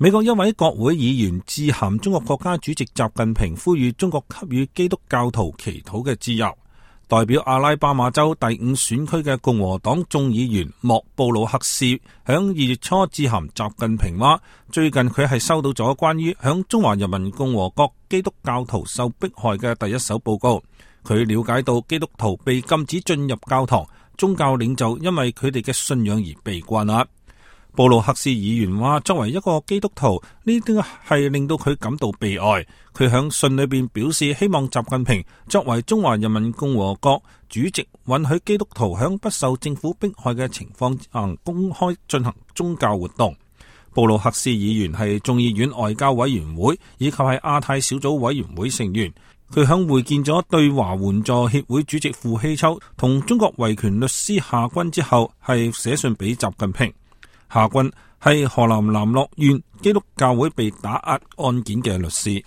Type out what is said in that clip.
美國一位國會議員致函中國國家主席習近平，呼籲中國給予基督教徒祈禱嘅自由。代表阿拉巴馬州第5選區嘅共和黨眾議員莫布魯克斯響2月初致函習近平話，最近佢係收到咗關於響中華人民共和國基督教徒受迫害嘅第一手報告。佢了解到基督徒被禁止進入教堂，宗教領袖因為佢哋嘅信仰而被關押。布魯克斯議員話，作為一個基督徒，呢啲係令到佢感到悲哀。佢響信裏邊表示，希望習近平作為中華人民共和國主席，允許基督徒響不受政府迫害嘅情況下公開進行宗教活動。布魯克斯議員係眾議院外交委員會以及係亞太小組委員會成員。佢響會見咗對華援助協會主席傅希秋同中國維權律師夏軍之後，係寫信俾習近平。夏軍係河南南洛縣基督教會被打壓案件嘅律師。